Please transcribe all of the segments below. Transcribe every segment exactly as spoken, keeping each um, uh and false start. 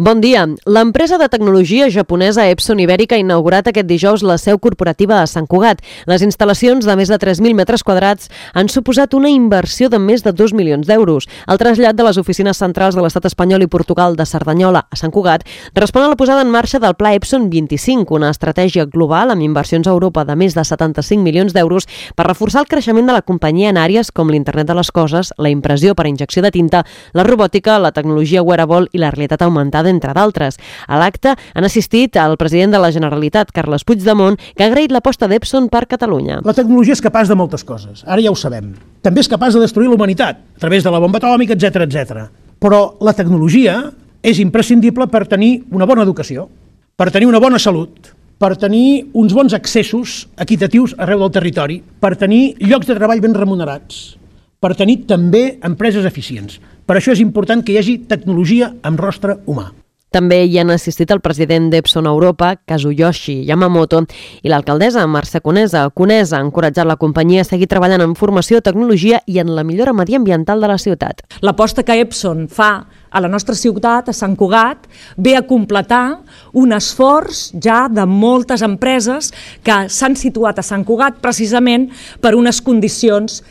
Bon dia. L'empresa de tecnologia japonesa Epson Ibérica ha inaugurat aquest dijous la seu corporativa a Sant Cugat. Les instal·lacions de més de tres mil metres quadrats han suposat una inversió de més de dos milions d'euros. El trasllat de les oficines centrals de l'estat espanyol i Portugal de Cerdanyola a Sant Cugat respon a la posada en marxa del Pla Epson vint-i-cinc, una estratègia global amb inversions a Europa de més de setanta-cinc milions d'euros per reforçar el creixement de la companyia en àrees com l'internet de les coses, la impressió per injecció de tinta, la robòtica, la tecnologia wearable i la realitat augmentada, entre d'altres. A l'acte han assistit el president de la Generalitat, Carles Puigdemont, que ha agraït l'aposta d'Epson per Catalunya. La tecnologia és capaç de moltes coses, ara ja ho sabem. També és capaç de destruir la humanitat, a través de la bomba atòmica, etcètera, etcètera. Però la tecnologia és imprescindible per tenir una bona educació, per tenir una bona salut, per tenir uns bons accessos equitatius arreu del territori, per tenir llocs de treball ben remunerats, per tenir també empreses eficients. Per això és important que hi hagi tecnologia amb rostre humà. També hi han assistit el president d'Epson Europa, Kazuyoshi Yamamoto, i l'alcaldessa Mercè Conesa. Conesa ha encoratjat la companyia a seguir treballant en formació, tecnologia i en la millora mediambiental de la ciutat. L'aposta que Epson fa a la nostra ciutat, a Sant Cugat, ve a completar un esforç ja de moltes empreses que s'han situat a Sant Cugat precisament per unes condicions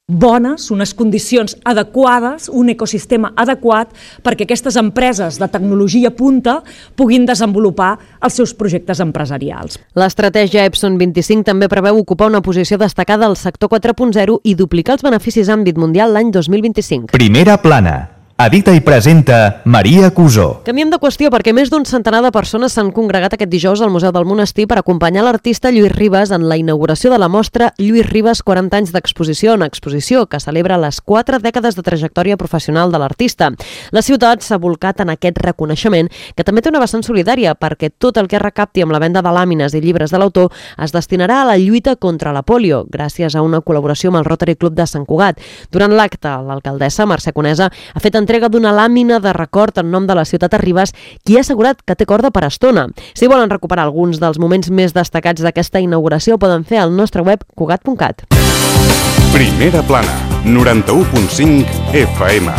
bones, unes condicions adequades, un ecosistema adequat perquè aquestes empreses de tecnologia punta puguin desenvolupar els seus projectes empresarials. L'estratègia Epson vint-i-cinc també preveu ocupar una posició destacada al sector quatre punt zero i duplicar els beneficis en àmbit mundial l'any dos mil vint-i-cinc. Primera plana. Edita i presenta Maria Cusó. Canviem de qüestió perquè més d'un centenar de persones s'han congregat aquest dijous al Museu del Monestir per acompanyar l'artista Lluís Ribas en la inauguració de la mostra Lluís Ribas quaranta anys d'exposició, una exposició que celebra les quatre dècades de trajectòria professional de l'artista. La ciutat s'ha volcat en aquest reconeixement, que també té una vessant solidària perquè tot el que es recapti amb la venda de làmines i llibres de l'autor es destinarà a la lluita contra la pòlio, gràcies a una col·laboració amb el Rotary Club de Sant Cugat. Durant l'acte, l'alcaldessa Mercè Conesa ha fet entrega d'una làmina de record en nom de la ciutat a Ribas, qui ha assegurat que té corda per estona. Si volen recuperar alguns dels moments més destacats d'aquesta inauguració, poden fer al nostre web cugat punt cat. Primera plana, noranta-u punt cinc F M.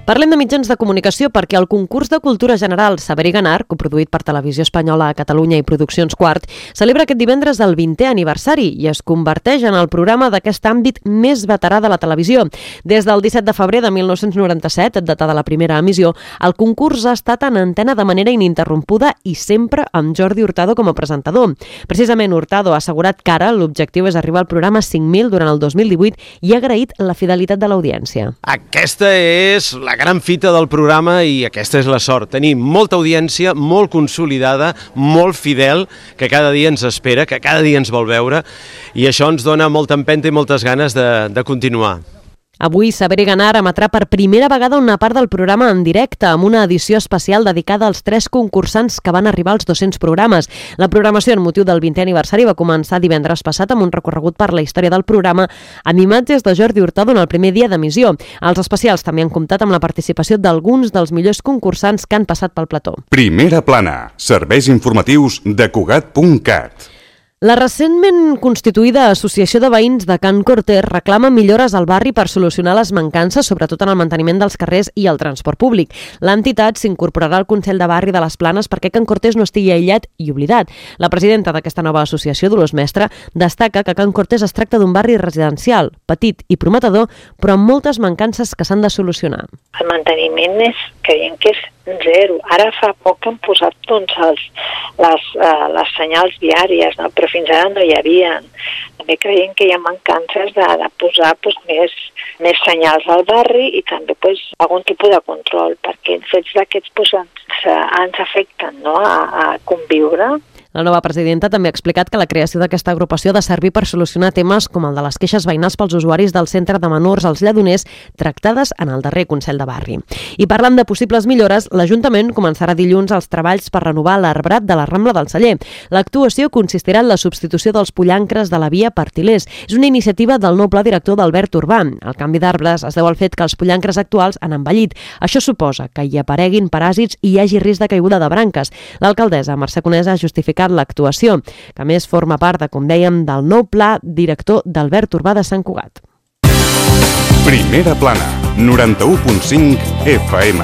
Parlem de mitjans de comunicació perquè el concurs de cultura general Saber i Ganar, coproduït per Televisió Espanyola a Catalunya i Produccions Quart, celebra aquest divendres el vintè aniversari i es converteix en el programa d'aquest àmbit més veterà de la televisió. Des del disset de febrer de mil nou-cents noranta-set, data de la primera emissió, el concurs ha estat en antena de manera ininterrompuda i sempre amb Jordi Hurtado com a presentador. Precisament Hurtado ha assegurat que ara l'objectiu és arribar al programa cinc mil durant el dos mil divuit i ha agraït la fidelitat de l'audiència. Aquesta és la La gran fita del programa i aquesta és la sort. Tenim molta audiència, molt consolidada, molt fidel, que cada dia ens espera, que cada dia ens vol veure i això ens dona molta empenta i moltes ganes de, de continuar. Avui Saber i Ganar emetrà per primera vegada una part del programa en directe amb una edició especial dedicada als tres concursants que van arribar als dos-cents programes. La programació en motiu del vintè aniversari va començar divendres passat amb un recorregut per la història del programa amb imatges de Jordi Hurtado en el primer dia d'emissió. Els especials també han comptat amb la participació d'alguns dels millors concursants que han passat pel plató. Primera plana, serveis informatius de cugat punt cat. La recentment constituïda Associació de Veïns de Can Cortés reclama millores al barri per solucionar les mancances, sobretot en el manteniment dels carrers i el transport públic. L'entitat s'incorporarà al Consell de Barri de les Planes perquè Can Cortés no estigui aïllat i oblidat. La presidenta d'aquesta nova associació, Dolors Mestre, destaca que Can Cortés es tracta d'un barri residencial, petit i prometedor, però amb moltes mancances que s'han de solucionar. El manteniment és, creiem que és zero. Ara fa poc que han posat doncs, els, les, uh, les senyals viàries, no? Però fins ara no hi havia. També creiem que hi ha mancances de, de posar doncs, més, més senyals al barri i també doncs, algun tipus de control, perquè els fets d'aquests doncs, ens, ens afecten, no? a, a conviure. La nova presidenta també ha explicat que la creació d'aquesta agrupació ha de servir per solucionar temes com el de les queixes veïnals pels usuaris del centre de menors als Lledoners tractades en el darrer Consell de Barri. I parlant de possibles millores, l'Ajuntament començarà dilluns els treballs per renovar l'arbrat de la Rambla del Celler. L'actuació consistirà en la substitució dels pollancres de la via per tilers. És una iniciativa del nou pla director d'Albert Urbà. El canvi d'arbres es deu al fet que els pollancres actuals han envellit. Això suposa que hi apareguin paràsits i hi hagi risc de caiguda de branques. L'alcaldessa Mercè Conesa ha justificat l'actuació, que a més forma part, de, com dèiem, del nou pla director d'Albert Urbà de Sant Cugat. Primera plana. noranta-u punt cinc F M.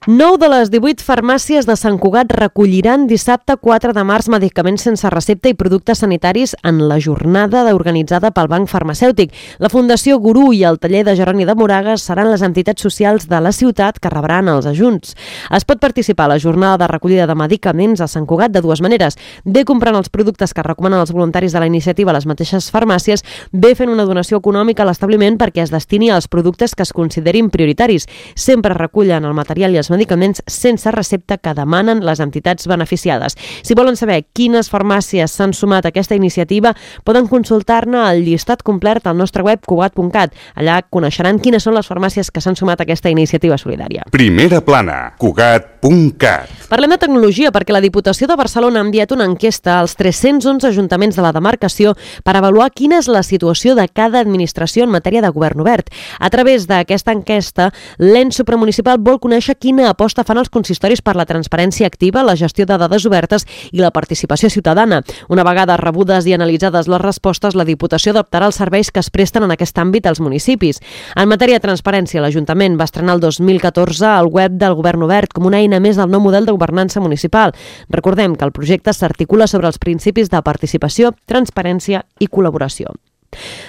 nou de les divuit farmàcies de Sant Cugat recolliran dissabte quatre de març medicaments sense recepta i productes sanitaris en la jornada organitzada pel Banc Farmacèutic. La Fundació Gurú i el taller de Jeroni de Moragues seran les entitats socials de la ciutat que rebran els ajuts. Es pot participar a la jornada de recollida de medicaments a Sant Cugat de dues maneres: bé comprant els productes que recomanen els voluntaris de la iniciativa a les mateixes farmàcies, bé fent una donació econòmica a l'establiment perquè es destini als productes que es considerin prioritaris. Sempre recullen el material i els medicaments sense recepta que demanen les entitats beneficiades. Si volen saber quines farmàcies s'han sumat a aquesta iniciativa, poden consultar-ne el llistat complet al nostre web cugat punt cat. Allà coneixeran quines són les farmàcies que s'han sumat a aquesta iniciativa solidària. Primera plana, cugat punt cat. Parlem de tecnologia perquè la Diputació de Barcelona ha enviat una enquesta als tres-cents onze ajuntaments de la demarcació per avaluar quina és la situació de cada administració en matèria de govern obert. A través d'aquesta enquesta, l'ens supramunicipal vol conèixer quina aposta fan els consistoris per la transparència activa, la gestió de dades obertes i la participació ciutadana. Una vegada rebudes i analitzades les respostes, la Diputació adaptarà els serveis que es presten en aquest àmbit als municipis. En matèria de transparència, l'Ajuntament va estrenar el dos mil catorze el web del Govern Obert com una eina més del nou model de governança municipal. Recordem que el projecte s'articula sobre els principis de participació, transparència i col·laboració.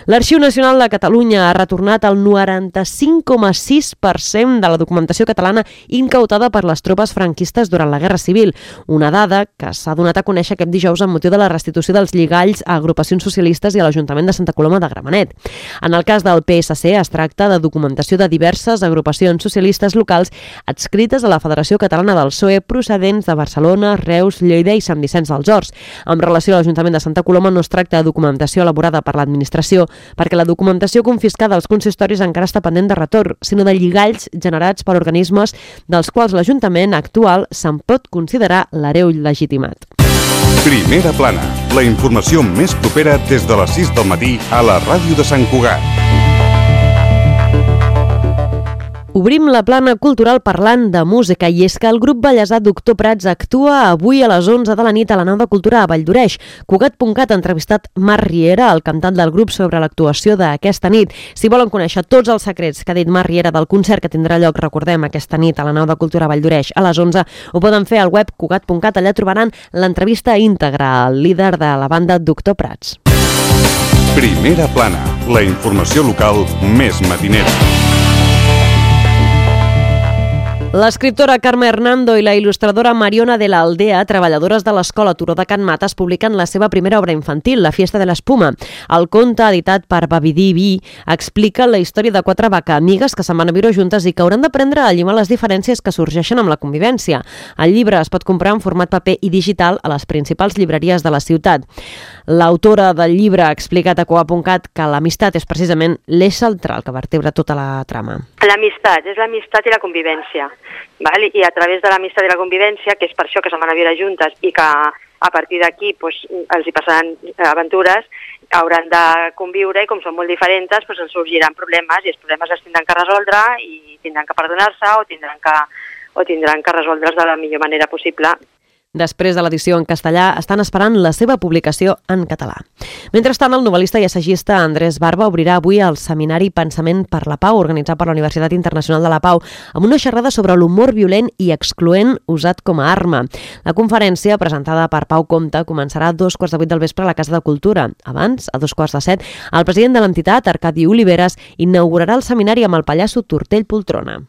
L'Arxiu Nacional de Catalunya ha retornat el noranta-cinc coma sis per cent de la documentació catalana incautada per les tropes franquistes durant la Guerra Civil, una dada que s'ha donat a conèixer aquest dijous amb motiu de la restitució dels lligalls a agrupacions socialistes i a l'Ajuntament de Santa Coloma de Gramenet. En el cas del P S C es tracta de documentació de diverses agrupacions socialistes locals adscrites a la Federació Catalana del P S O E procedents de Barcelona, Reus, Lleida i Sant Vicenç dels Horts. En relació a l'Ajuntament de Santa Coloma no es tracta de documentació elaborada per l'administració perquè la documentació confiscada als consistoris encara està pendent de retorn, sinó de lligalls generats per organismes dels quals l'Ajuntament actual se'n pot considerar l'hereu legitimat. Primera plana, la informació més propera des de les sis del matí a la ràdio de Sant Cugat. Obrim la plana cultural parlant de música i és que el grup ballesà Doctor Prats actua avui a les onze de la nit a la Nau de Cultura a Valldoreix. Cugat punt cat ha entrevistat Marc Riera, el cantant del grup, sobre l'actuació d'aquesta nit. Si volen conèixer tots els secrets que ha dit Marc Riera del concert que tindrà lloc, recordem, aquesta nit a la Nau de Cultura a Valldoreix a les onze, ho poden fer al web cugat punt cat. Allà trobaran l'entrevista íntegra al líder de la banda Doctor Prats. Primera plana, la informació local més matinera. L'escriptora Carme Hernando i la il·lustradora Mariona de la Aldea, treballadores de l'Escola Turó de Can Mates, publiquen la seva primera obra infantil, La fiesta de l'espuma. El conte, editat per Bavidí Vi, explica la història de quatre vaca amigues que se'n van a viure juntes i que hauran d'aprendre a llimar les diferències que sorgeixen amb la convivència. El llibre es pot comprar en format paper i digital a les principals llibreries de la ciutat. L'autora del llibre ha explicat a cugat punt cat que l'amistat és precisament l'eix central que vertebra tota la trama. L'amistat, és l'amistat i la convivència. Val? I a través de l'amistat i la convivència, que és per això que se'n van a viure juntes i que a partir d'aquí pues, els hi passaran aventures, hauran de conviure i com són molt diferents pues, ens sorgiran problemes i els problemes es tindran que resoldre i tindran que perdonar-se o tindran que, o tindran que resoldre's de la millor manera possible. Després de l'edició en castellà, estan esperant la seva publicació en català. Mentrestant, el novel·lista i assagista Andrés Barba obrirà avui el seminari Pensament per la Pau, organitzat per la Universitat Internacional de la Pau, amb una xerrada sobre l'humor violent i excloent usat com a arma. La conferència, presentada per Pau Comte, començarà a dos quarts de vuit del vespre a la Casa de Cultura. Abans, a dos quarts de set, el president de l'entitat, Arcadi Oliveres, inaugurarà el seminari amb el pallasso Tortell Poltrona.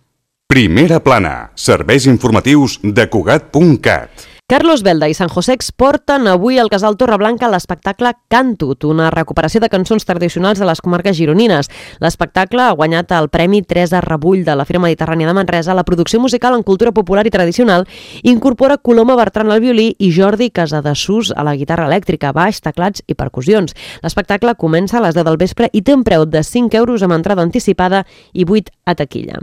Primera plana, serveis informatius de cugat punt cat. Carlos Belda i San José exporten avui al Casal Torreblanca l'espectacle Cantut, una recuperació de cançons tradicionals de les comarques gironines. L'espectacle ha guanyat el Premi Teresa Rebull de la Fira Mediterrània de Manresa. La producció musical en cultura popular i tradicional incorpora Coloma Bertran al violí i Jordi Casadesús a la guitarra elèctrica, baix, teclats i percussions. L'espectacle comença a les deu del vespre i té un preu de cinc euros amb entrada anticipada i vuit a taquilla.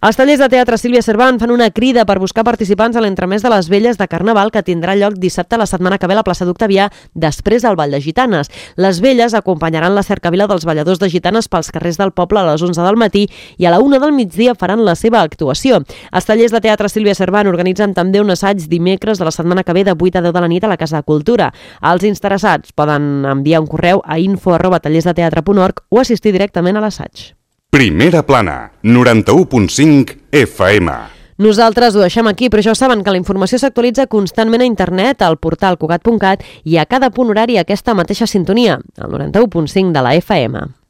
Els tallers de teatre Sílvia Cervant fan una crida per buscar participants a l'entremès de les Velles de Carnaval que tindrà lloc dissabte la setmana que ve a la plaça d'Octavià, després del Ball de Gitanes. Les Velles acompanyaran la cercavila dels balladors de gitanes pels carrers del poble a les onze del matí i a la una del migdia faran la seva actuació. Els tallers de teatre Sílvia Cervant organitzen també un assaig dimecres de la setmana que ve de vuit a deu de la nit a la Casa de Cultura. Els interessats poden enviar un correu a info arroba tallersdeteatre punt org o assistir directament a l'assaig. Primera plana, noranta-u punt cinc F M. Nosaltres ho deixem aquí, però ja ho saben que la informació s'actualitza constantment a internet, al portal cugat punt cat i a cada punt horari aquesta mateixa sintonia, el noranta-u punt cinc de la F M.